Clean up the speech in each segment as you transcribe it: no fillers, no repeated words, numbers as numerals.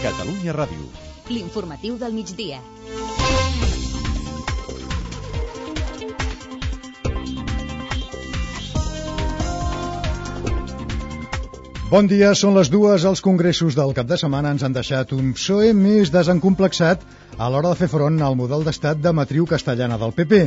Catalunya Ràdio. L'informatiu del migdia. Bon dia, són les 2. Els congressos del cap de setmana ens han deixat un PSOE més desencomplexat a l'hora de fer front al model d'estat de matriu castellana del PP.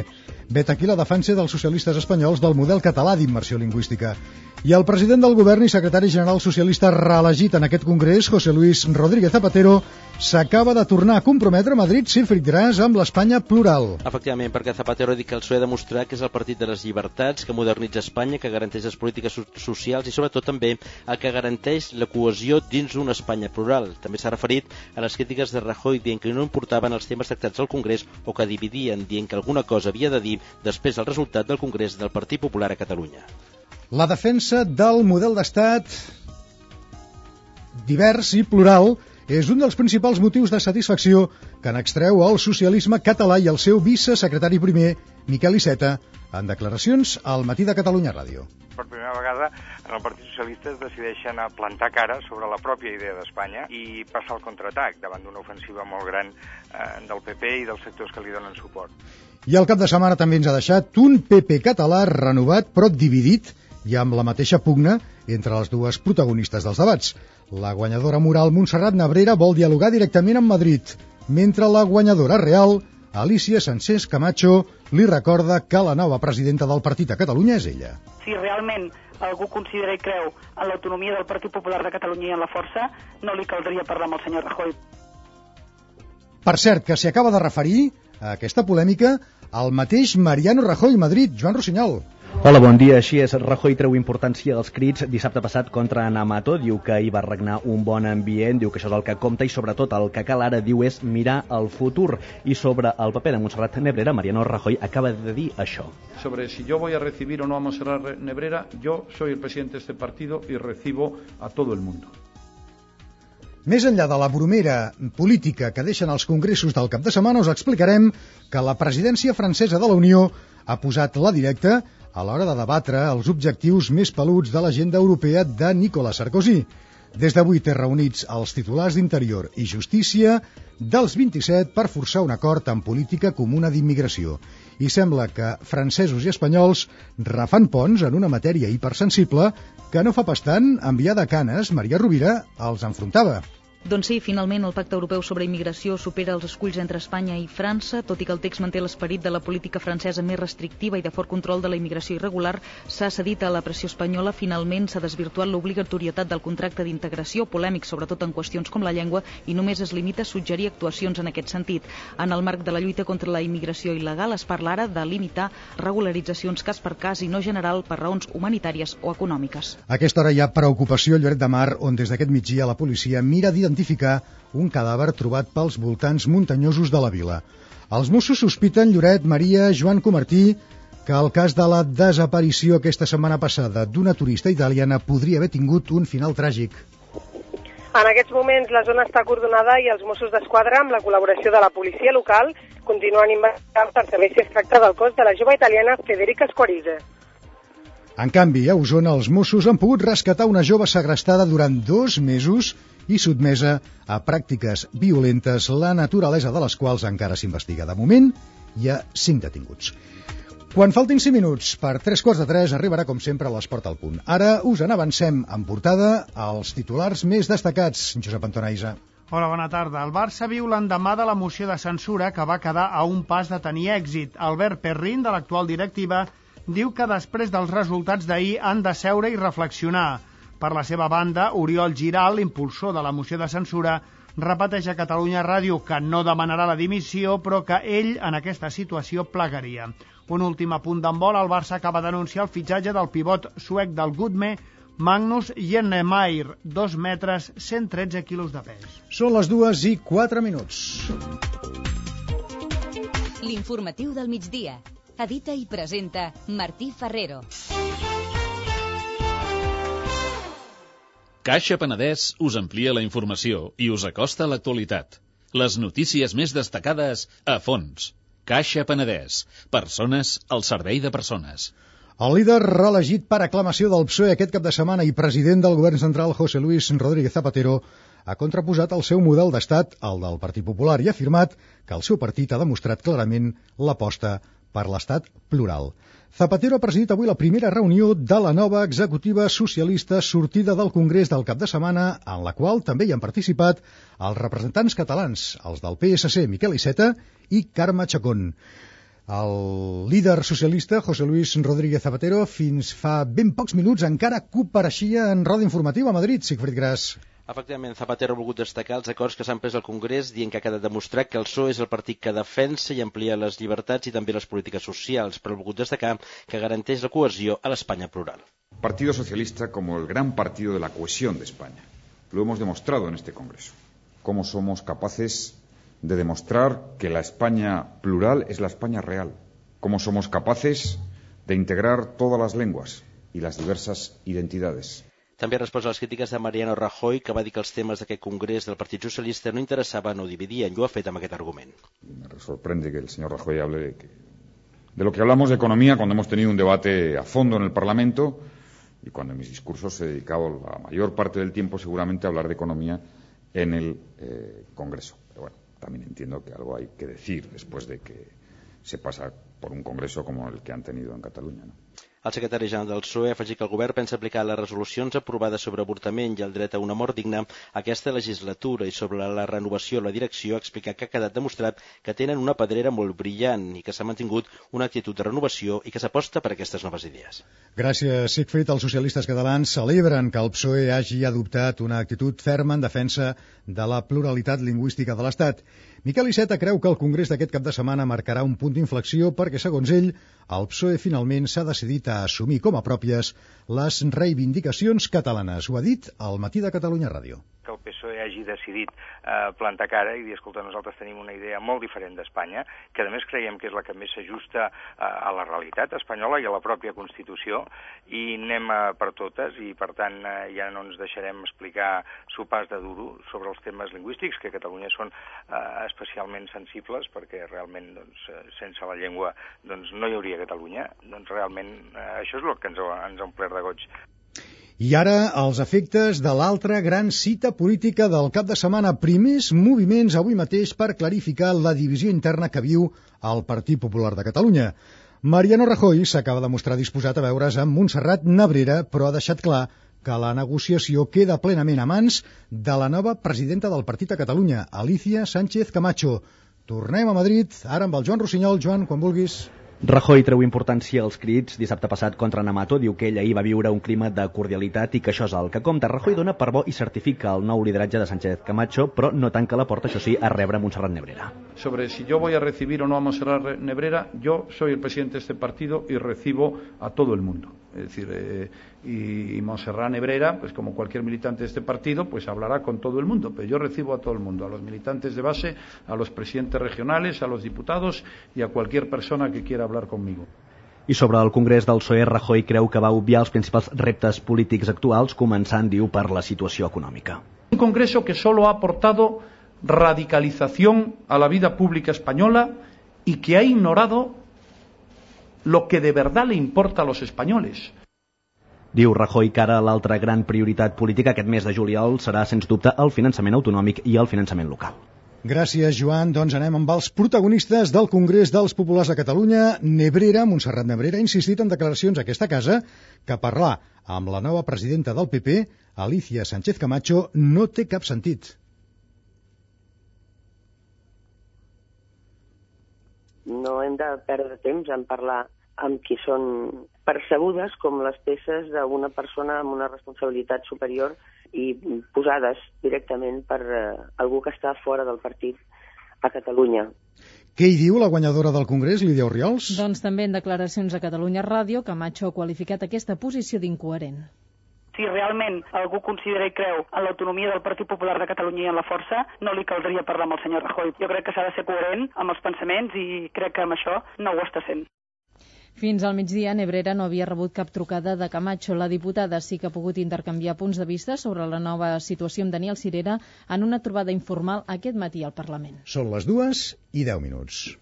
Vet aquí la defensa dels socialistes espanyols del model català d'immersió lingüística. I el president del govern i secretari general socialista reelegit en aquest congrés, José Luis Rodríguez Zapatero, s'acaba de tornar a comprometre a Madrid, Silfrid Gras, amb l'Espanya plural. Efectivament, perquè Zapatero ha dit que el PSOE ha demostrat que és el partit de les llibertats, que modernitza Espanya, que garanteix les polítiques socials i sobretot també el que garanteix la cohesió dins d'una Espanya plural. També s'ha referit a les crítiques de Rajoy dient que no importaven els temes tractats al Congrés o que dividien, dient que alguna cosa havia de dir després del resultat del Congrés del Partit Popular a Catalunya. La defensa del model d'estat divers i plural és un dels principals motius de satisfacció que n'extreu el socialisme català i el seu vicesecretari primer, Miquel Iceta, en declaracions al Matí de Catalunya Ràdio. Per primera vegada en el Partit Socialista es decideixen a plantar cara sobre la pròpia idea d'Espanya i passar el contraatac davant d'una ofensiva molt gran del PP i dels sectors que li donen suport. I el cap de setmana també ens ha deixat un PP català renovat però dividit i amb la mateixa pugna entre les dues protagonistes dels debats. La guanyadora moral Montserrat Nebrera vol dialogar directament amb Madrid, mentre la guanyadora real, Alicia Sánchez Camacho, li recorda que la nova presidenta del partit a Catalunya és ella. Si realment algú considera i creu en l'autonomia del Partit Popular de Catalunya i en la força, no li caldria parlar amb el senyor Rajoy. Per cert, que s'hi acaba de referir a aquesta polèmica el mateix Mariano Rajoy Madrid, Joan Rossinyol. Hola, bon dia. Així és, Rajoy treu importància als crits dissabte passat contra Ana Mato, diu que hi va regnar un bon ambient, diu que això és el que compta i sobretot el que cal ara, diu, és mirar el futur. I sobre el paper de Montserrat Nebrera, Mariano Rajoy acaba de dir això. Sobre si yo voy a recibir o no a Montserrat Nebrera, yo soy el presidente de este partido y recibo a todo el mundo. Més enllà de la bromera política que deixen els congressos del cap de setmana, us explicarem que la presidència francesa de la Unió ha posat la directa a l'hora de debatre els objectius més peluts de l'agenda europea de Nicolas Sarkozy. Des d'avui té reunits els titulars d'Interior i Justícia dels 27 per forçar un acord en política comuna d'immigració. I sembla que francesos i espanyols refan ponts en una matèria hipersensible que no fa pas tant enviar de Canes, Maria Rovira, els enfrontava. Doncs sí, finalment el Pacte Europeu sobre Immigració supera els esculls entre Espanya i França, tot i que el text manté l'esperit de la política francesa més restrictiva i de fort control de la immigració irregular, s'ha cedit a la pressió espanyola. Finalment s'ha desvirtuat l'obligatorietat del contracte d'integració, polèmic sobretot en qüestions com la llengua, i només es limita a suggerir actuacions en aquest sentit. En el marc de la lluita contra la immigració il·legal es parla ara de limitar regularitzacions cas per cas i no general per raons humanitàries o econòmiques. A aquesta hora hi ha preocupació a Lloret de Mar, on des d'aquest migdia la policia mira d'identificar un cadàver trobat pels voltants muntanyosos de la vila. Els Mossos sospiten, Lloret, Maria, Joan Comartí, que el cas de la desaparició aquesta setmana passada d'una turista italiana podria haver tingut un final tràgic. En aquests moments la zona està acordonada i els Mossos d'Esquadra, amb la col·laboració de la policia local, continuen investigant per saber si es tracta del cos de la jove italiana Federica Squarize. En canvi, a Osona, els Mossos han pogut rescatar una jove segrestada durant 2 mesos i sotmesa a pràctiques violentes, la naturalesa de les quals encara s'investiga. De moment, hi ha 5 detinguts. Quan faltin 5 minuts per 3:15 arribarà, com sempre, l'Esport al punt. Ara us en avancem en portada als titulars més destacats. Josep Antonaiza. Hola, bona tarda. El Barça viu l'endemà de la moció de censura que va quedar a un pas de tenir èxit. Albert Perrin, de l'actual directiva, diu que després dels resultats d'ahir han de seure i reflexionar. Per la seva banda, Oriol Giral, impulsor de la moció de censura, repeteix a Catalunya Ràdio que no demanarà la dimissió, però que ell en aquesta situació plegaria. Un últim apunt d'handbol, el Barça acaba d'anunciar el fitxatge del pivot suec del Gudme, Magnus Jennemeyer, 2 metres, 113 quilos de pes. Són les 2:04. L'informatiu del migdia. Edita i presenta Martí Ferrero. Caixa Penedès us amplia la informació i us acosta a l'actualitat. Les notícies més destacades a fons. Caixa Penedès. Persones al servei de persones. El líder reelegit per aclamació del PSOE aquest cap de setmana i president del govern central, José Luis Rodríguez Zapatero, ha contraposat el seu model d'estat al del Partit Popular i ha afirmat que el seu partit ha demostrat clarament l'aposta per l'estat plural. Zapatero ha presidit avui la primera reunió de la nova executiva socialista sortida del Congrés del cap de setmana, en la qual també hi han participat els representants catalans, els del PSC, Miquel Iceta i Carme Chacón. El líder socialista, José Luis Rodríguez Zapatero, fins fa ben pocs minuts encara compareixia en roda informativa a Madrid. Sigfrid Gras. Efectivament, Zapatero ha volgut destacar els acords que s'han pres al Congrés, dient que ha quedat demostrat que el PSOE és el partit que defensa i amplia les llibertats i també les polítiques socials, però ha volgut destacar que garanteix la cohesió a l'Espanya plural. Partido Socialista como el gran partido de la cohesión de España. Lo hemos demostrado en este Congreso. Cómo somos capaces de demostrar que la España plural es la España real. Cómo somos capaces de integrar todas las lenguas y las diversas identidades. També ha respost a les crítiques de Mariano Rajoy, que va dir que els temes d'aquest congrés del Partit Socialista no interessaven o dividien, i ho ha fet amb aquest argument. Me sorprende que el señor Rajoy hable de lo que hablamos de economía cuando hemos tenido un debate a fondo en el Parlamento y cuando en mis discursos he dedicado la mayor parte del tiempo seguramente a hablar de economía en el Congreso. Pero bueno, también entiendo que algo hay que decir después de que se pasa por un congreso como el que han tenido en Cataluña, ¿no? El secretari general del PSOE ha afegit que el govern pensa aplicar les resolucions aprovades sobre avortament i el dret a una mort digna aquesta legislatura, i sobre la renovació de la direcció ha explicat que ha quedat demostrat que tenen una pedrera molt brillant i que s'ha mantingut una actitud de renovació i que s'aposta per aquestes noves idees. Gràcies, Sigfrid. Els socialistes catalans celebren que el PSOE hagi adoptat una actitud ferma en defensa de la pluralitat lingüística de l'Estat. Miquel Iceta creu que el Congrés d'aquest cap de setmana marcarà un punt d'inflexió perquè, segons ell, el PSOE finalment s'ha decidit a assumir com a pròpies les reivindicacions catalanes. Ho ha dit al Matí de Catalunya Ràdio. Que el PSOE hagi decidit plantar cara i dir, escolta, nosaltres tenim una idea molt diferent d'Espanya, que a més creiem que és la que més s'ajusta a la realitat espanyola i a la pròpia Constitució, i anem per totes, i per tant ja no ens deixarem explicar sopars de duro sobre els temes lingüístics, que a Catalunya són especialment sensibles, perquè realment sense la llengua no hi hauria Catalunya. Doncs realment això és el que ens ha omplert de goig. I ara, els efectes de l'altra gran cita política del cap de setmana. Primers moviments avui mateix per clarificar la divisió interna que viu el Partit Popular de Catalunya. Mariano Rajoy s'acaba de mostrar disposat a veure's amb Montserrat Nebrera, però ha deixat clar que la negociació queda plenament a mans de la nova presidenta del Partit a Catalunya, Alicia Sánchez Camacho. Tornem a Madrid, ara amb el Joan Rossinyol. Joan, quan vulguis. Rajoy treu importància als crits dissabte passat contra Namato, diu que ell ahir va viure un clima de cordialitat i que això és el que compta. Rajoy dona per bo i certifica el nou lideratge de Sánchez Camacho, però no tanca la porta, això sí, a rebre Montserrat Nebrera. Sobre si yo voy a recibir o no a Montserrat Nebrera, yo soy el presidente de este partido y recibo a todo el mundo. Es decir, y Montserrat Nebrera, pues como cualquier militante de este partido, pues hablará con todo el mundo, pero yo recibo a todo el mundo, a los militantes de base, a los presidentes regionales, a los diputados y a cualquier persona que quiera hablar conmigo. I sobre el Congrés del PSOE, Rajoy creu que va obviar els principals reptes polítics actuals, començant, diu, per la situació econòmica. Un Congreso que solo ha aportado radicalización a la vida pública española y que ha ignorado lo que de verdad le importa a los españoles. Diu Rajoy que ara l'altra gran prioritat política aquest mes de juliol serà, sens dubte, el finançament autonòmic i el finançament local. Gràcies, Joan. Doncs anem amb els protagonistes del Congrés dels Populars de Catalunya. Montserrat Nebrera, ha insistit en declaracions a aquesta casa que parlar amb la nova presidenta del PP, Alicia Sánchez Camacho, no té cap sentit. No hem de perdre temps en parlar amb qui són percebudes com les peces d'una persona amb una responsabilitat superior i posades directament per algú que està fora del partit a Catalunya. Què hi diu la guanyadora del Congrés, Lídia Orriols? Doncs també en declaracions a Catalunya Ràdio, Camacho ha qualificat aquesta posició d'incoherent. Si realment algú considera i creu en l'autonomia del Partit Popular de Catalunya i en la força, no li caldria parlar amb el senyor Rajoy. Jo crec que s'ha de ser coherent amb els pensaments i crec que amb això no ho està sent. Fins al migdia, Nebrera no havia rebut cap trucada de Camacho. La diputada sí que ha pogut intercanviar punts de vista sobre la nova situació amb Daniel Sirera en una trobada informal aquest matí al Parlament. Són les 2 11:10.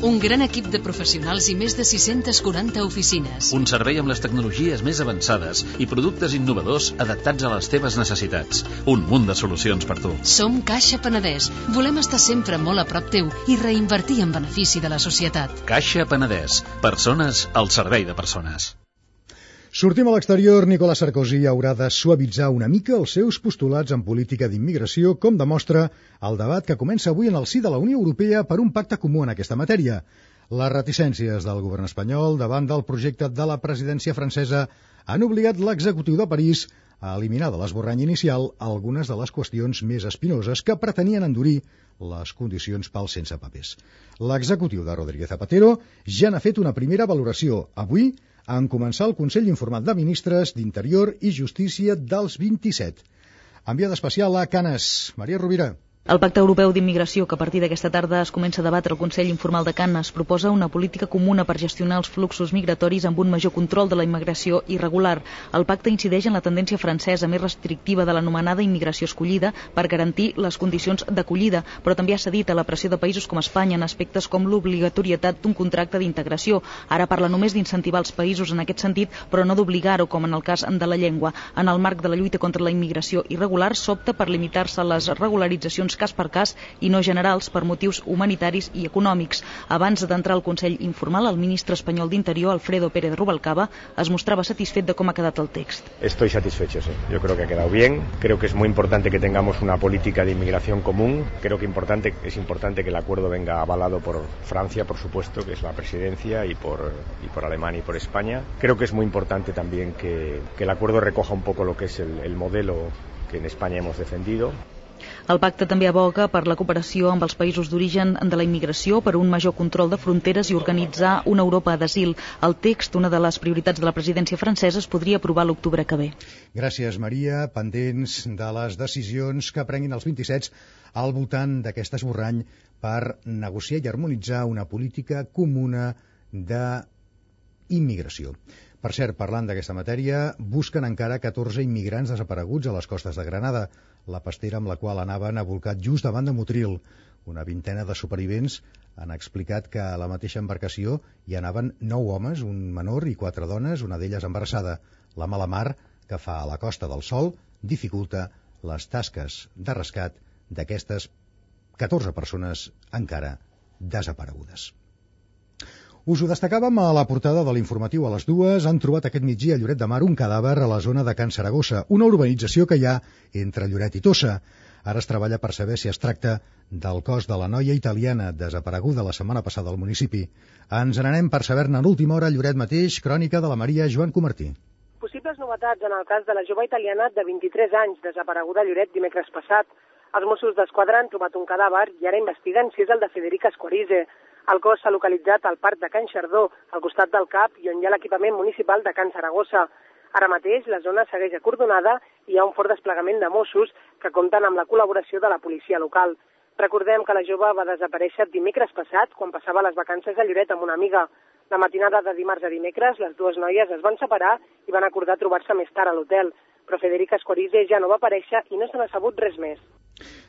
Un gran equip de professionals i més de 640 oficines. Un servei amb les tecnologies més avançades i productes innovadors adaptats a les teves necessitats. Un munt de solucions per tu. Som Caixa Penedès. Volem estar sempre molt a prop teu i reinvertir en benefici de la societat. Caixa Penedès. Persones al servei de persones. Sortim a l'exterior. Nicolas Sarkozy haurà de suavitzar una mica els seus postulats en política d'immigració, com demostra el debat que comença avui en el si de la Unió Europea per un pacte comú en aquesta matèria. Les reticències del govern espanyol davant del projecte de la presidència francesa han obligat l'executiu de París a eliminar de l'esborrany inicial algunes de les qüestions més espinoses que pretenien endurir les condicions pels sense papers. L'executiu de Rodríguez Zapatero ja n'ha fet una primera valoració avui en començar el Consell Informat de Ministres d'Interior i Justícia dels 27. Enviada especial a Canes, Maria Rovira. El Pacte Europeu d'Immigració, que a partir d'aquesta tarda es comença a debatre al Consell Informal de Canes, proposa una política comuna per gestionar els fluxos migratoris amb un major control de la immigració irregular. El pacte incideix en la tendència francesa més restrictiva de l'anomenada immigració escollida per garantir les condicions d'acollida, però també ha cedit a la pressió de països com Espanya en aspectes com l'obligatorietat d'un contracte d'integració. Ara parla només d'incentivar els països en aquest sentit, però no d'obligar-ho, com en el cas de la llengua. En el marc de la lluita contra la immigració irregular, s'opta per limitar-se a les regularitzacions cas per cas i no generals per motius humanitaris i econòmics. Abans d'entrar al Consell Informal, el ministre espanyol d'Interior, Alfredo Pérez Rubalcaba, es mostrava satisfet de com ha quedat el text. Estoy satisfecho, sí. Yo creo que ha quedado bien. Creo que es muy importante que tengamos una política de inmigración común. Creo que es importante que el acuerdo venga avalado por Francia, por supuesto, que es la presidencia, y por Alemania y por España. Creo que es muy importante también que el acuerdo recoja un poco lo que es el modelo que en España hemos defendido. El pacte també aboga per la cooperació amb els països d'origen de la immigració, per un major control de fronteres i organitzar una Europa d'asil. El text, una de les prioritats de la presidència francesa, es podria aprovar l'octubre que ve. Gràcies, Maria. Pendents de les decisions que prenguin els 27 al voltant d'aquest esborrany per negociar i harmonitzar una política comuna d'immigració. Per cert, parlant d'aquesta matèria, busquen encara 14 immigrants desapareguts a les costes de Granada. La pastera amb la qual anaven ha volcat just davant de Motril. Una vintena de supervivents han explicat que a la mateixa embarcació hi anaven 9 homes, un menor i 4 dones, una d'elles embarassada. La mala mar que fa a la Costa del Sol dificulta les tasques de rescat d'aquestes 14 persones encara desaparegudes. Us ho destacàvem a la portada de l'informatiu a les 2. Han trobat aquest migdia a Lloret de Mar un cadàver a la zona de Can Saragossa, una urbanització que hi ha entre Lloret i Tossa. Ara es treballa per saber si es tracta del cos de la noia italiana desapareguda la setmana passada al municipi. Ens n'anem per saber-ne en última hora a Lloret mateix. Crònica de la Maria Joan Comartí. Possibles novetats en el cas de la jove italiana de 23 anys desapareguda a Lloret dimecres passat. Els Mossos d'Esquadra han trobat un cadàver i ara investiguen si és el de Federica Esquarize. El cos s'ha localitzat al parc de Can Xardó, al costat del CAP i on hi ha l'equipament municipal de Can Saragossa. Ara mateix la zona segueix acordonada i hi ha un fort desplegament de Mossos que compten amb la col·laboració de la policia local. Recordem que la jove va desaparèixer dimecres passat quan passava les vacances a Lloret amb una amiga. La matinada de dimarts a dimecres les dues noies es van separar i van acordar trobar-se més tard a l'hotel, però Federica Esquarize ja no va aparèixer i no se n'ha sabut res més.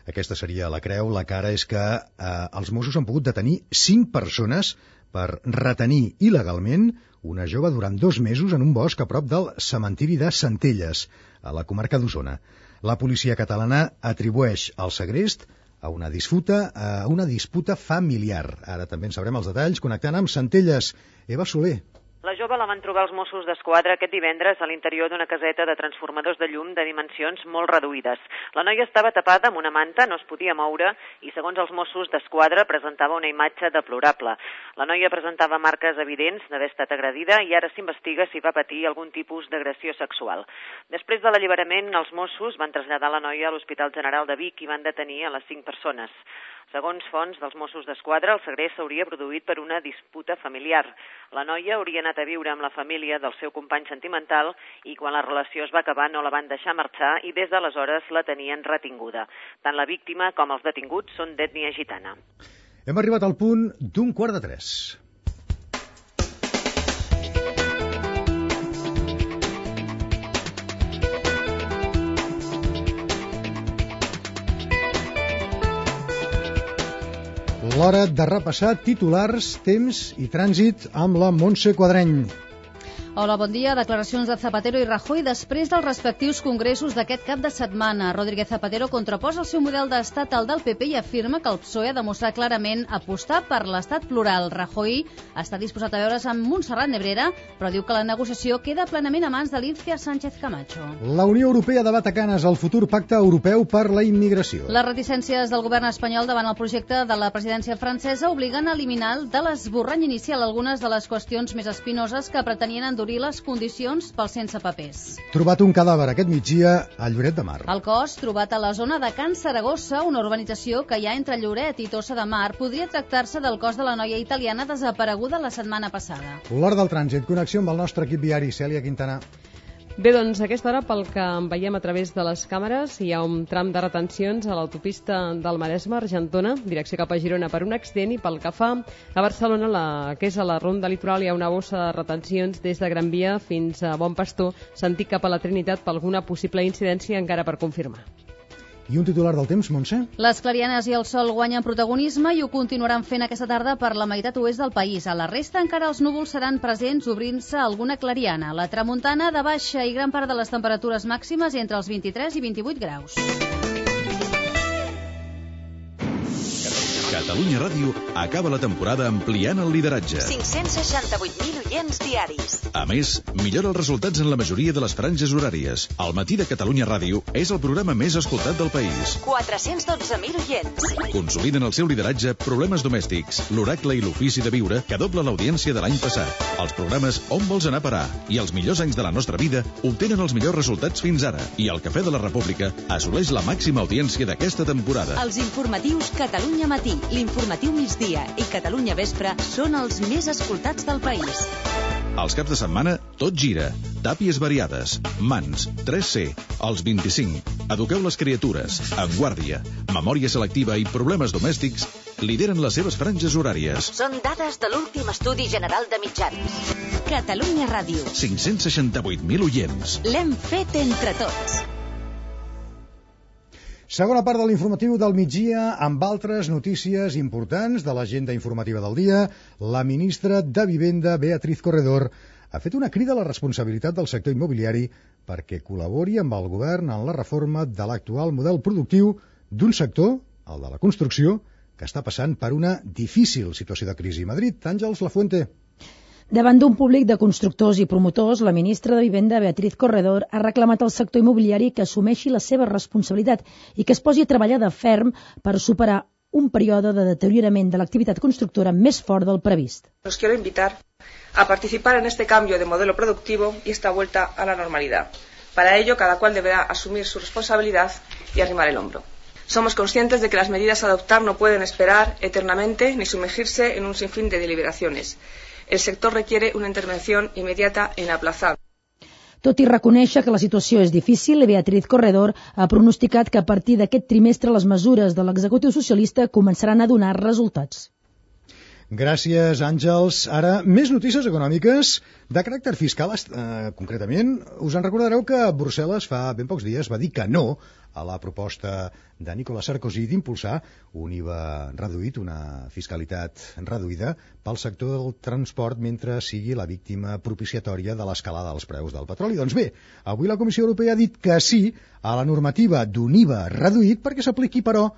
Aquesta seria la creu. La cara és que els Mossos han pogut detenir 5 persones per retenir il·legalment una jove durant 2 mesos en un bosc a prop del cementiri de Centelles, a la comarca d'Osona. La policia catalana atribueix el segrest a una disputa familiar. Ara també en sabrem els detalls connectant amb Centelles. Eva Soler. La jove la van trobar els Mossos d'Esquadra aquest divendres a l'interior d'una caseta de transformadors de llum de dimensions molt reduïdes. La noia estava tapada amb una manta, no es podia moure i, segons els Mossos d'Esquadra, presentava una imatge deplorable. La noia presentava marques evidents d'haver estat agredida i ara s'investiga si va patir algun tipus d'agressió sexual. Després de l'alliberament, els Mossos van traslladar la noia a l'Hospital General de Vic i van detenir a les 5 persones. Segons fonts dels Mossos d'Esquadra, el segrest s'hauria produït per una disputa familiar. La noia hauria anat a viure amb la família del seu company sentimental i quan la relació es va acabar no la van deixar marxar i des d'aleshores la tenien retinguda. Tant la víctima com els detinguts són d'ètnia gitana. Hem arribat al punt d'un 2:45. l'hora de repassar titulars, temps i trànsit amb la Montse Quadreny. Hola, bon dia. Declaracions de Zapatero i Rajoy després dels respectius congressos d'aquest cap de setmana. Rodríguez Zapatero contraposa el seu model d'estat al del PP i afirma que el PSOE ha demostrat clarament apostar per l'estat plural. Rajoy està disposat a veure's amb Montserrat Nebrera, però diu que la negociació queda plenament a mans de Lícia Sánchez Camacho. La Unió Europea debat a Canes el futur pacte europeu per la immigració. Les reticències del govern espanyol davant el projecte de la presidència francesa obliguen a eliminar de l'esborrany inicial algunes de les qüestions més espinoses que pretenien endurir les condicions pels sense papers. Trobat un cadàver aquest migdia a Lloret de Mar. El cos, trobat a la zona de Can Saragossa, una urbanització que hi ha entre Lloret i Tossa de Mar, podria tractar-se del cos de la noia italiana desapareguda la setmana passada. L'hora del trànsit, connexió amb el nostre equip viari, Cèlia Quintana. Bé, doncs a aquesta hora, pel que veiem a través de les càmeres, hi ha un tram de retencions a l'autopista del Maresme, Argentona, direcció cap a Girona per un accident, i pel que fa a Barcelona, que és a la Ronda Litoral, hi ha una bossa de retencions des de Gran Via fins a Bon Pastor, sentit cap a la Trinitat per alguna possible incidència encara per confirmar. I un titular del temps, Montse? Les clarianes i el sol guanyen protagonisme i ho continuaran fent aquesta tarda per la meitat oest del país. A la resta encara els núvols seran presents, obrint-se alguna clariana. La tramuntana de baixa i gran part de les temperatures màximes entre els 23 i 28 graus. Catalunya Ràdio acaba la temporada ampliant el lideratge. 568.000 oients diaris. A més, millora els resultats en la majoria de les franges horàries. El matí de Catalunya Ràdio és el programa més escoltat del país. 412.000 oients. Consoliden el seu lideratge Problemes domèstics, l'oracle i l'ofici de viure, que dobla l'audiència de l'any passat. Els programes On vols anar a parar i Els millors anys de la nostra vida obtenen els millors resultats fins ara. I el Cafè de la República assoleix la màxima audiència d'aquesta temporada. Els informatius Catalunya Matí, l'Informatiu Migdia i Catalunya Vespre són els més escoltats del país. Els caps de setmana, tot gira. Tàpies variades, Mans, 3C, els 25, Eduqueu les criatures, En guàrdia, Memòria selectiva i Problemes domèstics lideren les seves franges horàries. Són dades de l'últim estudi general de mitjans. Catalunya Ràdio. 568.000 oients. L'hem fet entre tots. Segona part de l'informatiu del migdia amb altres notícies importants de l'agenda informativa del dia. La ministra de Vivenda, Beatriz Corredor, ha fet una crida a la responsabilitat del sector immobiliari perquè col·labori amb el govern en la reforma de l'actual model productiu d'un sector, el de la construcció, que està passant per una difícil situació de crisi. Madrid, Àngels Lafuente. Davant d'un públic de constructors i promotors, la ministra de Vivenda, Beatriz Corredor, ha reclamat al sector immobiliari que assumeixi la seva responsabilitat i que es posi a treballar de ferm per superar un període de deteriorament de l'activitat constructora més fort del previst. Los quiero invitar a participar en este cambio de modelo productivo y esta vuelta a la normalidad. Para ello, cada cual deberá asumir su responsabilidad y arrimar el hombro. Somos conscientes de que las medidas a adoptar no pueden esperar eternamente ni sumergirse en un sinfín de deliberaciones. El sector requiere una intervención inmediata e inaplazable. Tot i reconèixer que la situació és difícil, Beatriz Corredor ha pronosticat que a partir d'aquest trimestre les mesures de l'executiu socialista començaran a donar resultats. Gràcies, Àngels. Ara, més notícies econòmiques de caràcter fiscal. Concretament, us en recordareu que Brussel·les fa ben pocs dies va dir que no a la proposta de Nicolas Sarkozy d'impulsar un IVA reduït, una fiscalitat reduïda pel sector del transport mentre sigui la víctima propiciatòria de l'escalada dels preus del petroli. Doncs bé, avui la Comissió Europea ha dit que sí a la normativa d'un IVA reduït perquè s'apliqui, però,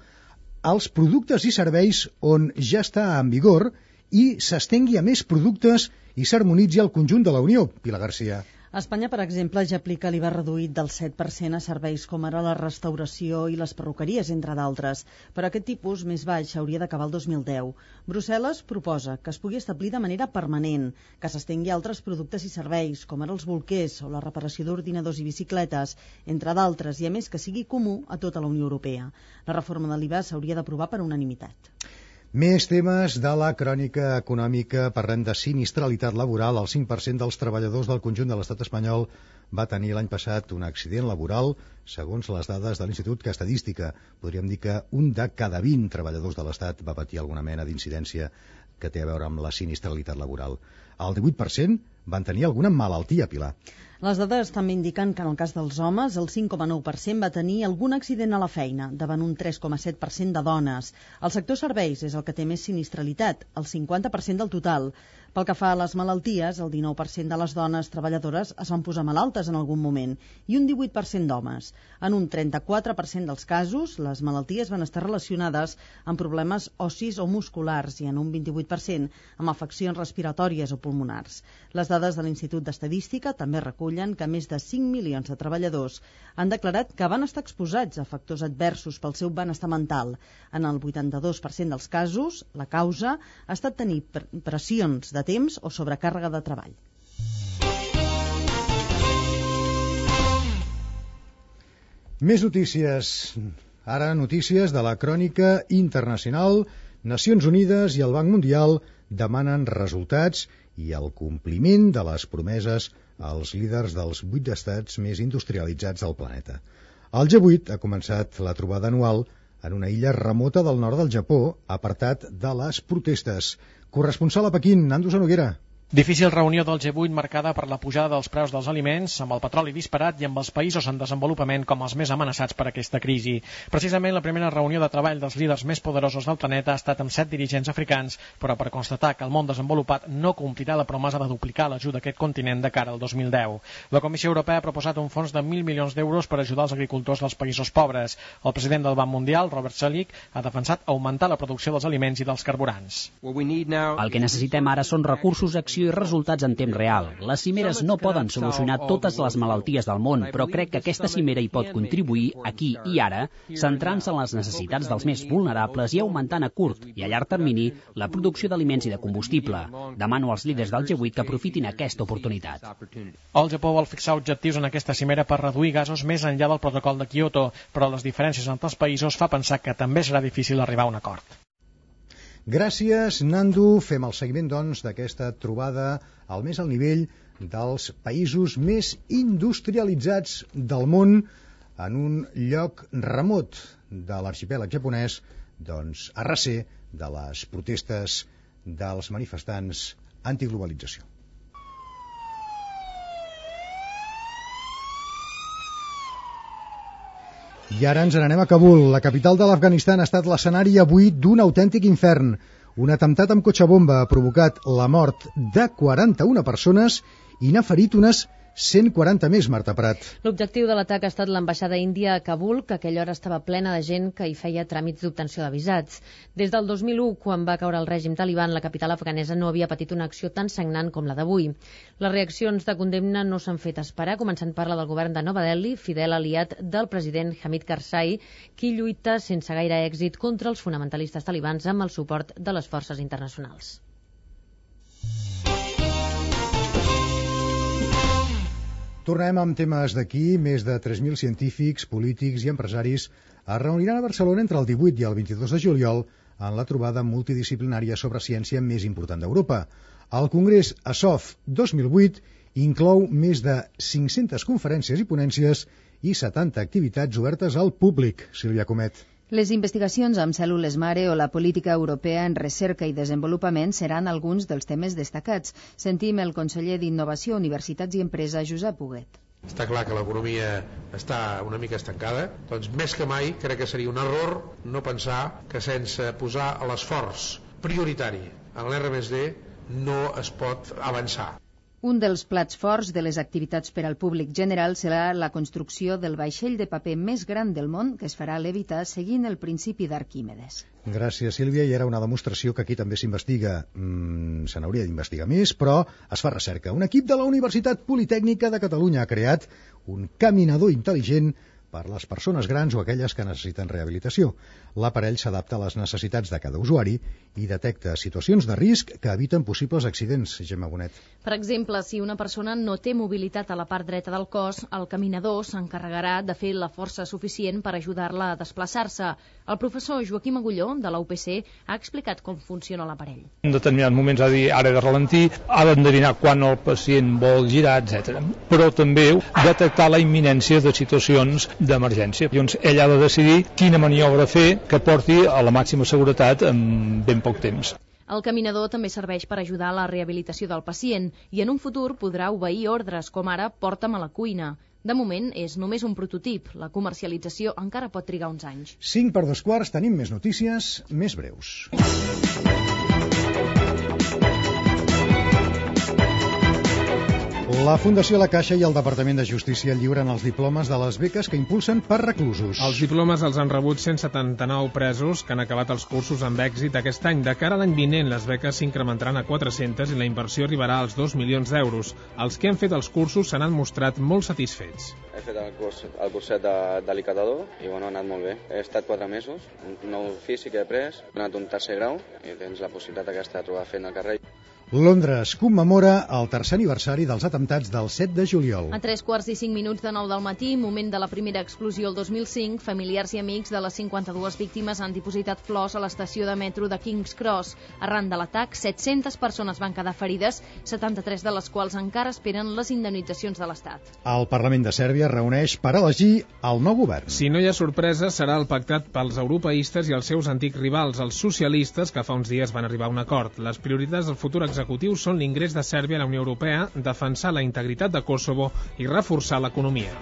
als productes i serveis on ja està en vigor i s'estengui a més productes i s'harmonitzi al conjunt de la Unió. Pilar García. Espanya, per exemple, ja aplica l'IVA reduït del 7% a serveis com ara la restauració i les perruqueries, entre d'altres. Però aquest tipus més baix hauria d'acabar el 2010. Brussel·les proposa que es pugui establir de manera permanent, que s'estengui a altres productes i serveis, com ara els bolquers o la reparació d'ordinadors i bicicletes, entre d'altres, i a més que sigui comú a tota la Unió Europea. La reforma de l'IVA s'hauria d'aprovar per unanimitat. Més temes de la crònica econòmica. Parlem de sinistralitat laboral. El 5% dels treballadors del conjunt de l'estat espanyol va tenir l'any passat un accident laboral, segons les dades de l'Institut Estadística. Podríem dir que un de cada 20 treballadors de l'estat va patir alguna mena d'incidència que té a veure amb la sinistralitat laboral. El 18% van tenir alguna malaltia, Pilar. Les dades també indiquen que en el cas dels homes el 5,9% va tenir algun accident a la feina, davant un 3,7% de dones. El sector serveis és el que té més sinistralitat, el 50% del total. Pel que fa a les malalties, el 19% de les dones treballadores es van posar malaltes en algun moment i un 18% d'homes. En un 34% dels casos, les malalties van estar relacionades amb problemes ossis o musculars i en un 28% amb afeccions respiratòries o pulmonars. Les dades de l'Institut d'Estadística també recullen que més de 5 milions de treballadors han declarat que van estar exposats a factors adversos pel seu benestar mental. En el 82% dels casos, la causa ha estat tenir pressions de temps o sobrecàrrega de treball. Més notícies. Ara notícies de la crònica internacional. Nacions Unides i el Banc Mundial demanen resultats i el compliment de les promeses als líders dels 8 estats més industrialitzats del planeta. El G8 ha començat la trobada anual en una illa remota del nord del Japó, apartat de les protestes. Corresponsal a Pequín, Nando Noguera. Difícil reunió del G8 marcada per la pujada dels preus dels aliments, amb el petroli disparat i amb els països en desenvolupament com els més amenaçats per aquesta crisi. Precisament la primera reunió de treball dels líders més poderosos del planeta ha estat amb 7 dirigents africans, però per constatar que el món desenvolupat no complirà la promesa de duplicar l'ajuda a aquest continent de cara al 2010. La Comissió Europea ha proposat un fons de 1.000 milions d'euros per ajudar els agricultors dels països pobres. El president del Banc Mundial, Robert Selig, ha defensat augmentar la producció dels aliments i dels carburants. El que necessitem ara són recursos, acció i resultats en temps real. Les cimeres no poden solucionar totes les malalties del món, però crec que aquesta cimera hi pot contribuir aquí i ara, centrant-se en les necessitats dels més vulnerables i augmentant a curt i a llarg termini la producció d'aliments i de combustible. Demano als líders del G8 que aprofitin aquesta oportunitat. El Japó vol fixar objectius en aquesta cimera per reduir gasos més enllà del protocol de Kyoto, però les diferències entre els països fa pensar que també serà difícil arribar a un acord. Gràcies, Nando. Fem el seguiment, doncs, d'aquesta trobada al més alt nivell dels països més industrialitzats del món en un lloc remot de l'arxipèlag japonès, doncs, a recer de les protestes dels manifestants antiglobalització. I ara ens n'anem a Kabul. La capital de l'Afganistan ha estat l'escenari avui d'un autèntic infern. Un atemptat amb cotxe bomba ha provocat la mort de 41 persones i n'ha ferit unes 140 més, Marta Prat. L'objectiu de l'atac ha estat l'ambaixada índia a Kabul, que a aquella hora estava plena de gent que hi feia tràmits d'obtenció de visats. Des del 2001, quan va caure el règim taliban, la capital afganesa no havia patit una acció tan sagnant com la d'avui. Les reaccions de condemna no s'han fet esperar, començant per la del govern de Nova Delhi, fidel aliat del president Hamid Karzai, qui lluita sense gaire èxit contra els fonamentalistes talibans amb el suport de les forces internacionals. Tornem amb temes d'aquí. Més de 3.000 científics, polítics i empresaris es reuniran a Barcelona entre el 18 i el 22 de juliol en la trobada multidisciplinària sobre ciència més important d'Europa. El Congrés ASOF 2008 inclou més de 500 conferències i ponències i 70 activitats obertes al públic. Sílvia Comet. Les investigacions amb cèl·lules mare o la política europea en recerca i desenvolupament seran alguns dels temes destacats. Sentim el conseller d'Innovació, Universitats i Empresa, Josep Huguet. Està clar que l'economia està una mica estancada, doncs més que mai crec que seria un error no pensar que sense posar l'esforç prioritari en l'R+D no es pot avançar. Un dels plats forts de les activitats per al públic general serà la construcció del vaixell de paper més gran del món que es farà levitar seguint el principi d'Arquímedes. Gràcies, Sílvia. I era una demostració que aquí també s'investiga. Se n'hauria d'investigar més, però es fa recerca. Un equip de la Universitat Politècnica de Catalunya ha creat un caminador intel·ligent per les persones grans o aquelles que necessiten rehabilitació. L'aparell s'adapta a les necessitats de cada usuari i detecta situacions de risc que eviten possibles accidents. Gemma Bonet. Per exemple, si una persona no té mobilitat a la part dreta del cos, el caminador s'encarregarà de fer la força suficient per ajudar-la a desplaçar-se. El professor Joaquim Agulló, de la UPC, ha explicat com funciona l'aparell. En determinats moments ha de dir ara de ralentir, ha d'endevinar quan el pacient vol girar, etc. Però també detectar la imminència de situacions d'emergència. Llavors ell ha de decidir quina maniobra fer que porti a la màxima seguretat en ben poc temps. El caminador també serveix per ajudar a la rehabilitació del pacient i en un futur podrà obeir ordres, com ara porta'm a la cuina. De moment és només un prototip. La comercialització encara pot trigar uns anys. 5:45, tenim més notícies, més breus. La Fundació La Caixa i el Departament de Justícia lliuren els diplomes de les beques que impulsen per reclusos. Els diplomes els han rebut 179 presos que han acabat els cursos amb èxit aquest any. De cara a l'any vinent, les beques s'incrementaran a 400 i la inversió arribarà als 2 milions d'euros. Els que han fet els cursos se n'han mostrat molt satisfets. He fet el curset de l'Icatador i ha anat molt bé. He estat 4 mesos, un nou ofici que he pres, he anat un tercer grau i tens la possibilitat aquesta de trobar feina al carrer. Londres commemora el tercer aniversari dels atemptats del 7 de juliol. A 3:45 de 9 del matí, moment de la primera explosió el 2005, familiars i amics de les 52 víctimes han dipositat flors a l'estació de metro de King's Cross. Arran de l'atac, 700 persones van quedar ferides, 73 de les quals encara esperen les indemnitzacions de l'Estat. El Parlament de Sèrbia reuneix per elegir el nou govern. Si no hi ha sorpresa, serà el pactat pels europeistes i els seus antics rivals, els socialistes, que fa uns dies van arribar a un acord. Les prioritats del futur executiu són l'ingrés de Sèrbia a la Unió Europea, defensar la integritat de Kosovo i reforçar l'economia.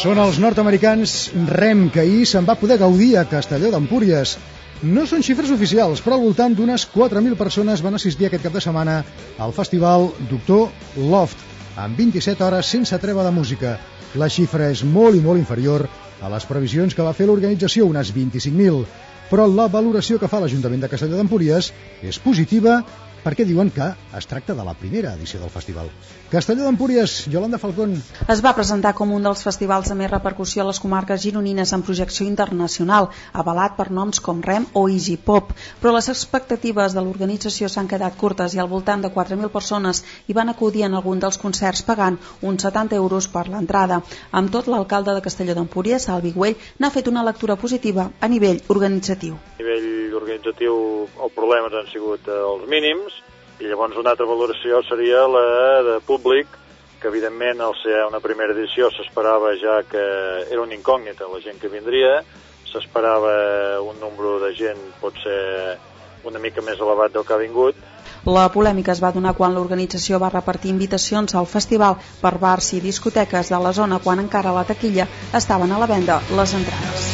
Són els nord-americans REM, que ahir se'n va poder gaudir a Castelló d'Empúries. No són xifres oficials, però al voltant d'unes 4.000 persones van assistir aquest cap de setmana al festival Doctor Loft, amb 27 hores sense treva de música. La xifra és molt i molt inferior a les previsions que va fer l'organització, unes 25.000. Però la valoració que fa l'Ajuntament de Castelló d'Empúries és positiva perquè diuen que es tracta de la primera edició del festival. Castelló d'Empúries, Yolanda Falcón. Es va presentar com un dels festivals de més repercussió a les comarques gironines en projecció internacional, avalat per noms com REM o Easy Pop, però les expectatives de l'organització s'han quedat curtes i al voltant de 4.000 persones hi van acudir en algun dels concerts pagant uns 70 euros per l'entrada. Amb tot, l'alcalde de Castelló d'Empúries, Salvi Güell, n'ha fet una lectura positiva a nivell organitzatiu. A nivell organitzatiu els problemes han sigut els mínims i llavors una altra valoració seria la de públic, que evidentment al ser una primera edició s'esperava ja que era una incògnita la gent que vindria, s'esperava un nombre de gent potser una mica més elevat del que ha vingut. La polèmica es va donar quan l'organització va repartir invitacions al festival per bars i discoteques de la zona quan encara a la taquilla estaven a la venda les entrades.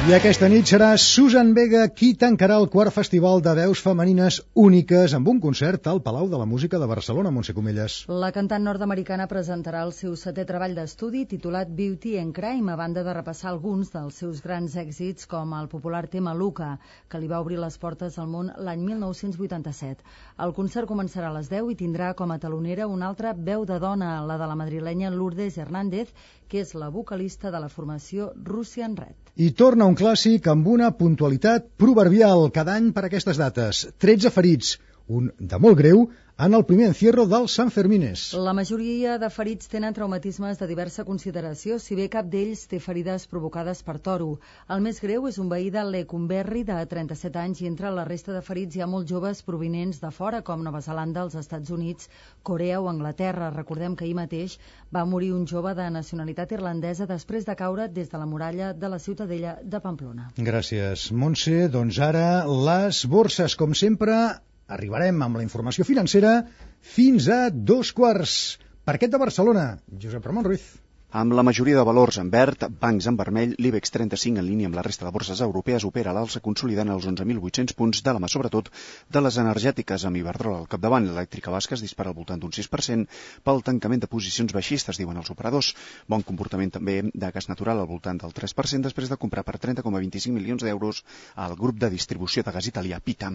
I aquesta nit serà Susan Vega qui tancarà el quart festival de veus femenines úniques amb un concert al Palau de la Música de Barcelona, Montse Comelles. La cantant nord-americana presentarà el seu 7è treball d'estudi titulat Beauty and Crime, a banda de repassar alguns dels seus grans èxits com el popular tema Luca, que li va obrir les portes al món l'any 1987. El concert començarà a les 10 i tindrà com a talonera una altra veu de dona, la de la madrilenya Lourdes Hernández, que és la vocalista de la formació Russian Red. I torna un clàssic amb una puntualitat proverbial cada any per aquestes dates. 13 ferits, un de molt greu, en el primer encierro dels Sanfermines. La majoria de ferits tenen traumatismes de diversa consideració, si bé cap d'ells té ferides provocades per toro. El més greu és un veí de Lecumberri, de 37 anys, i entre la resta de ferits hi ha molts joves provinents de fora, com Nova Zelanda, els Estats Units, Corea o Anglaterra. Recordem que ahir mateix va morir un jove de nacionalitat irlandesa després de caure des de la muralla de la Ciutadella de Pamplona. Gràcies, Montse. Doncs ara les borses, com sempre. Arribarem amb la informació financera fins a 2:15. Parquet de Barcelona, Josep Ramon Ruiz. Amb la majoria de valors en verd, bancs en vermell, l'IBEX 35 en línia amb la resta de borses europees opera a l'alça consolidant els 11.800 punts de la mà, sobretot de les energètiques, amb Iberdrola al capdavant. L'elèctrica basca es dispara al voltant d'un 6% pel tancament de posicions baixistes, diuen els operadors. Bon comportament també de gas natural al voltant del 3% després de comprar per 30,25 milions d'euros al grup de distribució de gas italià Pita.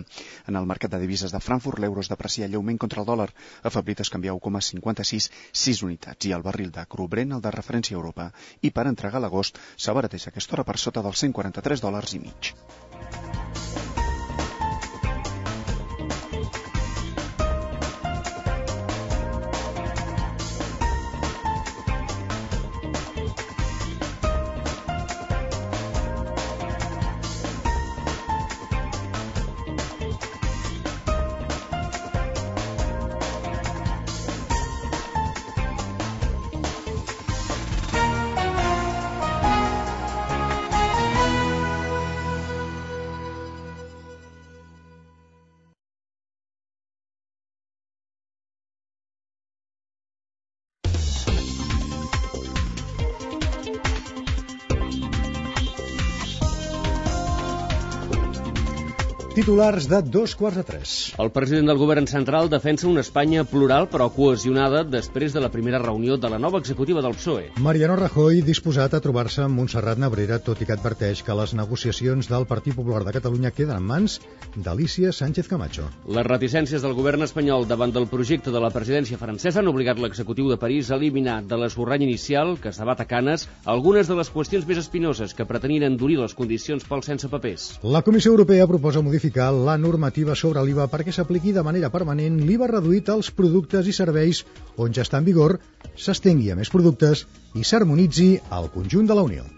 En el mercat de divises de Frankfurt, l'euro es deprecia lleument contra el dòlar. Afeblit es canvia 1,56, 6 unitats, i el barril de cru Brent, el de referència a Europa, i per entregar l'agost s'abarateix aquesta hora per sota dels $143,5. Titulars de 2:45. El president del govern central defensa una Espanya plural però cohesionada després de la primera reunió de la nova executiva del PSOE. Mariano Rajoy disposat a trobar-se amb Montserrat Nebrera, tot i que adverteix que les negociacions del Partit Popular de Catalunya queden en mans d'Alícia Sánchez Camacho. Les reticències del govern espanyol davant del projecte de la presidència francesa han obligat l'executiu de París a eliminar de l'esborrany inicial, que es debat a Canes, algunes de les qüestions més espinoses que pretenien endurir les condicions pels sense papers. La Comissió Europea proposa modificar la normativa sobre l'IVA perquè s'apliqui de manera permanent l'IVA reduït als productes i serveis on ja està en vigor, s'estengui a més productes i s'harmonitzi al conjunt de la Unió.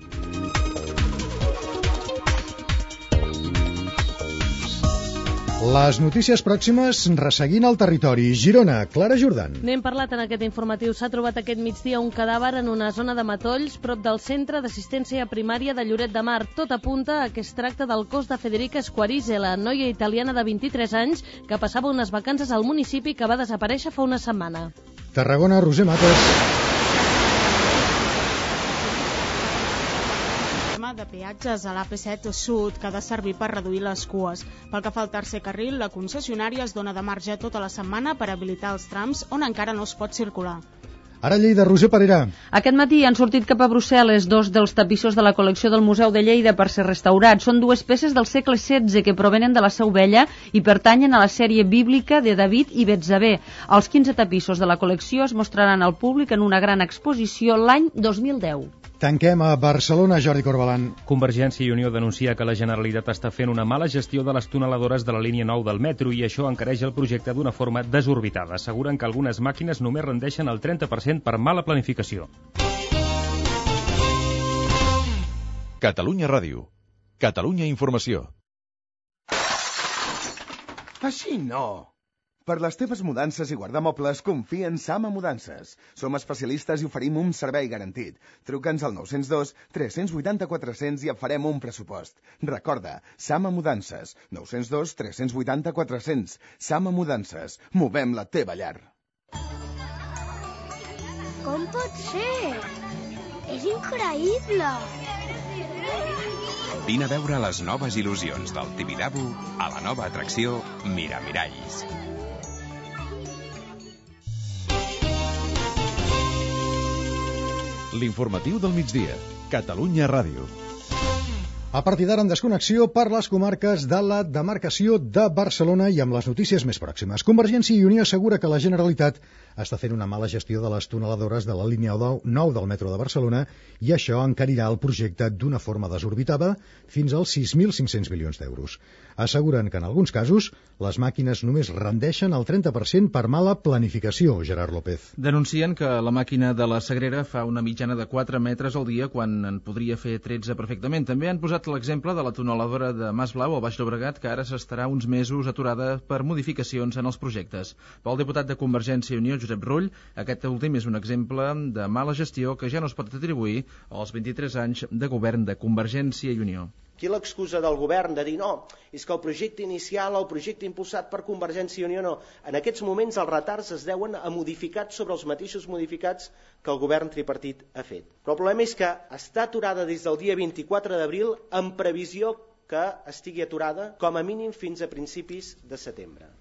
Les notícies pròximes resseguint el territori. Girona, Clara Jordan. N'hem parlat en aquest informatiu. S'ha trobat aquest migdia un cadàver en una zona de matolls prop del centre d'assistència primària de Lloret de Mar. Tot apunta a que es tracta del cos de Federica Squarise, la noia italiana de 23 anys que passava unes vacances al municipi que va desaparèixer fa una setmana. Tarragona, Roser Mates. De peatges a l'AP7 Sud que ha de servir per reduir les cues. Pel que fa al tercer carril, la concessionària es dona de marge tota la setmana per habilitar els trams on encara no es pot circular. Ara Lleida, Roser Parera. Aquest matí han sortit cap a Brussel·les dos dels tapissos de la col·lecció del Museu de Lleida per ser restaurats. Són dues peces del segle XVI que provenen de la Seu Vella i pertanyen a la sèrie bíblica de David i Betsabé. Els 15 tapissos de la col·lecció es mostraran al públic en una gran exposició l'any 2010. Tanquem a Barcelona, Jordi Corbalan. Convergència i Unió denuncia que la Generalitat està fent una mala gestió de les tuneladores de la línia 9 del metro i això encareix el projecte d'una forma desorbitada. Asseguren que algunes màquines només rendeixen el 30% per mala planificació. Catalunya Ràdio. Catalunya Informació. Així no! Per les teves mudances i guardamobles, confia en Sama Mudances. Som especialistes i oferim un servei garantit. Truca'ns al 902 380 400 i et farem un pressupost. Recorda, Sama Mudances. 902 380 400. Sama Mudances. Movem la teva llar. Com pot ser? És increïble! Vine a veure les noves il·lusions del Tibidabo a la nova atracció Miramiralls. L'informatiu del migdia. Catalunya Ràdio. A partir d'ara en desconnexió per les comarques de la demarcació de Barcelona i amb les notícies més pròximes. Convergència i Unió assegura que la Generalitat està fent una mala gestió de les tuneladores de la línia 9 del metro de Barcelona i això encarirà el projecte d'una forma desorbitada fins als 6.500 milions d'euros. Asseguren que en alguns casos les màquines només rendeixen el 30% per mala planificació, Gerard López. Denuncien que la màquina de la Sagrera fa una mitjana de 4 metres al dia quan en podria fer 13 perfectament. També han posat l'exemple de la tuneladora de Mas Blau al Baix Llobregat, que ara s'estarà uns mesos aturada per modificacions en els projectes. Pel diputat de Convergència i Unió, Josep Rull, aquest últim és un exemple de mala gestió que ja no es pot atribuir als 23 anys de govern de Convergència i Unió. Aquí l'excusa del govern de dir no, és que el projecte inicial, el projecte impulsat per Convergència i Unió no. En aquests moments els retards es deuen a modificats sobre els mateixos modificats que el govern tripartit ha fet. Però el problema és que està aturada des del dia 24 d'abril amb previsió que estigui aturada com a mínim fins a principis de setembre.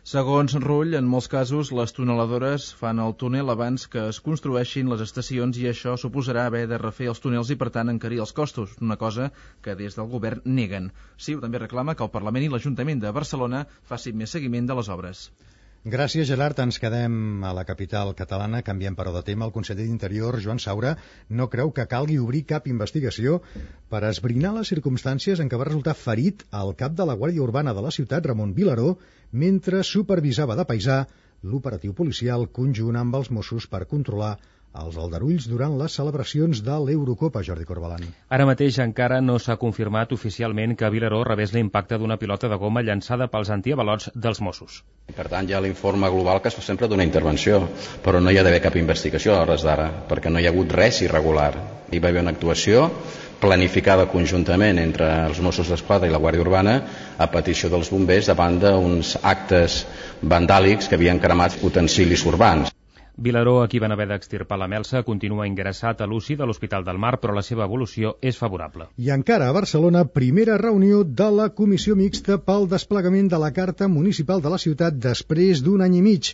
Segons Rull, en molts casos les tuneladores fan el túnel abans que es construeixin les estacions i això suposarà haver de refer els túnels i per tant encarir els costos, una cosa que des del govern neguen. CiU també reclama que el Parlament i l'Ajuntament de Barcelona facin més seguiment de les obres. Gràcies, Gerard. Ens quedem a la capital catalana. Canviem però de tema. El conseller d'Interior, Joan Saura, no creu que calgui obrir cap investigació per esbrinar les circumstàncies en què va resultar ferit el cap de la Guàrdia Urbana de la ciutat, Ramon Vilaró, mentre supervisava de paisà l'operatiu policial conjunt amb els Mossos per controlar els aldarulls durant les celebracions de l'Eurocopa, Jordi Corbalan. Ara mateix encara no s'ha confirmat oficialment que Vilaró rebés l'impacte d'una pilota de goma llançada pels antiavalots dels Mossos. Per tant, hi ha l'informe global que es fa sempre d'una intervenció, però no hi ha d'haver cap investigació a hores d'ara, perquè no hi ha hagut res irregular. Hi va haver una actuació planificada conjuntament entre els Mossos d'Esquadra i la Guàrdia Urbana a petició dels bombers davant d'uns actes vandàlics que havien cremat utensilis urbans. Vilaró, a qui van haver d'extirpar la melsa, continua ingressat a l'UCI de l'Hospital del Mar, però la seva evolució és favorable. I encara a Barcelona, primera reunió de la Comissió Mixta pel desplegament de la Carta Municipal de la ciutat després d'un any i mig.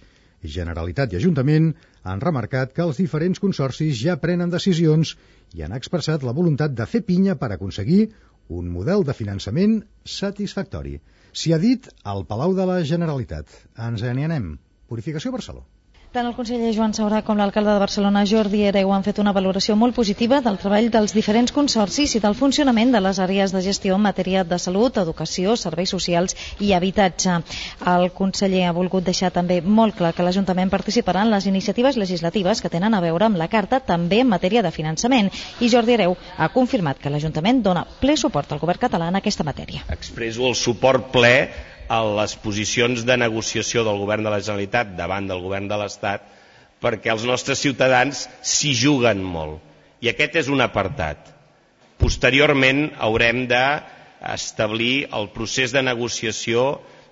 Generalitat i Ajuntament han remarcat que els diferents consorcis ja prenen decisions i han expressat la voluntat de fer pinya per aconseguir un model de finançament satisfactori. S'hi ha dit al Palau de la Generalitat. Ens n'hi anem. Purificació Barcelona. Tant el conseller Joan Saurà com l'alcalde de Barcelona, Jordi Hereu, han fet una valoració molt positiva del treball dels diferents consorcis i del funcionament de les àrees de gestió en matèria de salut, educació, serveis socials i habitatge. El conseller ha volgut deixar també molt clar que l'Ajuntament participarà en les iniciatives legislatives que tenen a veure amb la Carta, també en matèria de finançament. I Jordi Hereu ha confirmat que l'Ajuntament dona ple suport al govern català en aquesta matèria. Expresso el suport ple a les posicions de negociació del govern de la Generalitat davant del govern de l'Estat, perquè els nostres ciutadans s'hi juguen molt. I aquest és un apartat. Posteriorment haurem d'establir el procés de negociació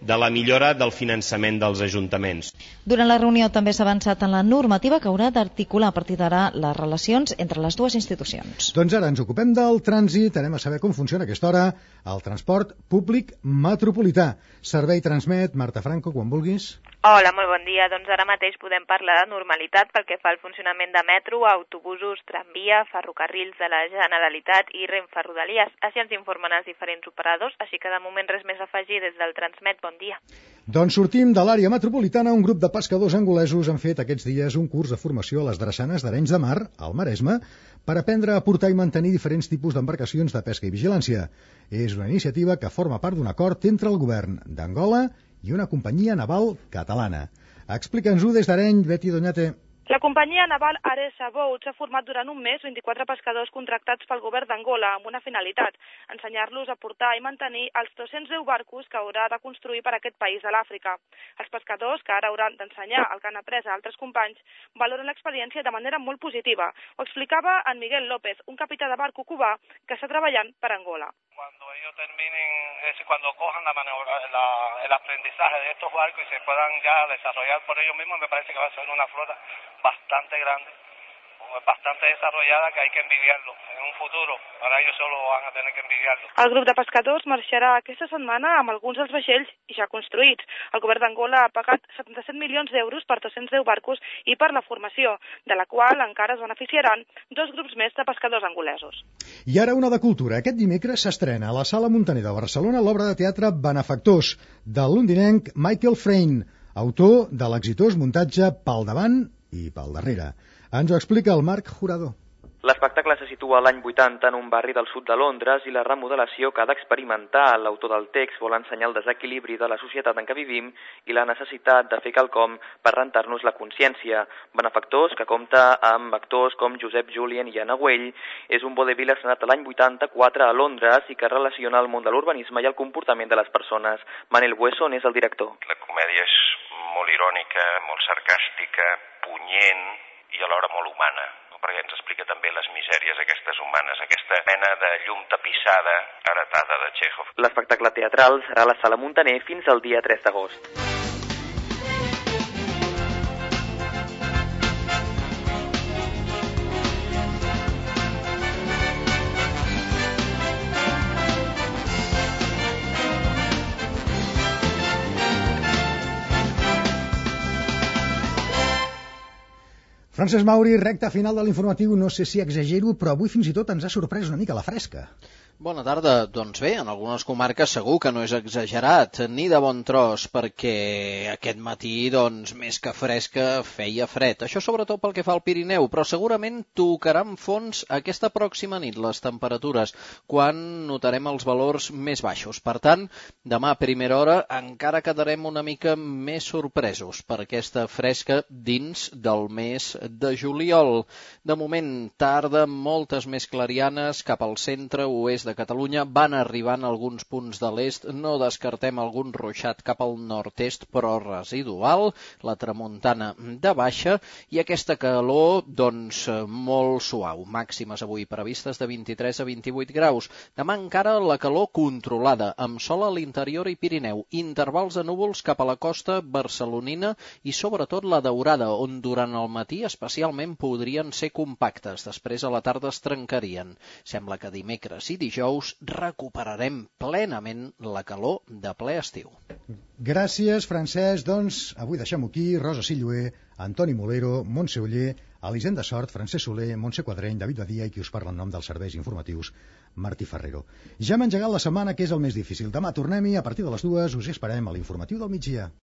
de la millora del finançament dels ajuntaments. Durant la reunió també s'ha avançat en la normativa que haurà d'articular a partir d'ara les relacions entre les dues institucions. Doncs ara ens ocupem del trànsit, anem a saber com funciona a aquesta hora el transport públic metropolità. Servei Transmet, Marta Franco, quan vulguis. Hola, molt bon dia. Doncs ara mateix podem parlar de normalitat pel que fa al funcionament de metro, autobusos, tramvia, ferrocarrils de la Generalitat i Renfe Rodalies. Així ens informen els diferents operadors, així que de moment res més a afegir des del Transmet. Bon dia. Doncs sortim de l'àrea metropolitana. Un grup de pescadors angolesos han fet aquests dies un curs de formació a les drassanes d'Arenys de Mar, al Maresme, per aprendre a portar i mantenir diferents tipus d'embarcacions de pesca i vigilància. És una iniciativa que forma part d'un acord entre el govern d'Angola i una companyia naval catalana. Explica'ns-ho des d'Areny, Betty Doñate. La companyia naval Aresa Boats ha format durant un mes 24 pescadors contractats pel govern d'Angola amb una finalitat, ensenyar-los a portar i mantenir els 210 barcos que haurà de construir per a aquest país de l'Àfrica. Els pescadors, que ara hauran d'ensenyar el que han après a altres companys, valoren l'experiència de manera molt positiva. Ho explicava en Miguel López, un capità de barco cubà que està treballant per Angola. Cuando ellos terminen, cuando cojan el aprendizaje de estos barcos y se puedan ya desarrollar por ellos mismos, me parece que va a ser una flota bastante grande, bastante desarrollada, que hay que envidiarlo en un futuro. Ahora ellos solo van a tener que envidiarlo. El grup de pescadors marxarà aquesta setmana amb alguns dels vaixells ja construïts. El govern d'Angola ha pagat 77 milions d'euros per 210 barcos i per la formació, de la qual encara es beneficiaran 2 grups més de pescadors angolesos. I ara una de cultura. Aquest dimecres s'estrena a la Sala Muntaner de Barcelona l'obra de teatre Benefactors, del londinenc Michael Frayn, autor de l'exitós muntatge Pel davant i pel darrere. Ens ho explica el Marc Jurado. L'espectacle se situa l'any 80 en un barri del sud de Londres i la remodelació que ha d'experimentar l'autor del text vol ensenyar el desequilibri de la societat en què vivim i la necessitat de fer quelcom per rentar-nos la consciència. Benefactors, que compta amb actors com Josep Julien i Anna Güell, és un vodevil estrenat l'any 84 a Londres i que relaciona el món de l'urbanisme i el comportament de les persones. Manel Buesson és el director. La comèdia és molt irònica, molt sarcàstica, punyent i alhora molt humana, perquè ens explica també les misèries aquestes humanes, aquesta mena de llum tapissada heretada de Txékhov. L'espectacle teatral serà a la Sala Muntaner fins al dia 3 d'agost. Francesc Mauri, recta final de l'informatiu. No sé si exagero, però avui fins i tot ens ha sorprès una mica la fresca. Bona tarda. Doncs bé, en algunes comarques segur que no és exagerat, ni de bon tros, perquè aquest matí, doncs, més que fresca, feia fred. Això sobretot pel que fa al Pirineu, però segurament tocaran fons aquesta pròxima nit les temperatures, quan notarem els valors més baixos. Per tant, demà a primera hora encara quedarem una mica més sorpresos per aquesta fresca dins del mes de juliol. De moment, tarda, moltes més clarianes cap al centre, oest de Catalunya van arribant a alguns punts de l'est, no descartem algun ruixat cap al nord-est, però residual, la tramuntana de baixa, i aquesta calor, doncs, molt suau. Màximes avui previstes de 23 a 28 graus. Demà encara la calor controlada, amb sol a l'interior i Pirineu, intervals de núvols cap a la costa barcelonina i sobretot la Daurada, on durant el matí especialment podrien ser compactes. Després a la tarda es trencarien. Sembla que dimecres i dijous recuperarem plenament la calor de ple estiu. Gràcies, Francesc. Doncs avui deixem-ho aquí. Rosa Silloé, Antoni Molero, Montse Oller, Elisenda Sort, Francesc Soler, Montse Quadreny, David Badia i qui us parla en nom dels serveis informatius, Martí Ferrero. Ja hem engegat la setmana, que és el més difícil. Demà tornem-hi a partir de les 2. Us hi esperem a l'informatiu del migdia.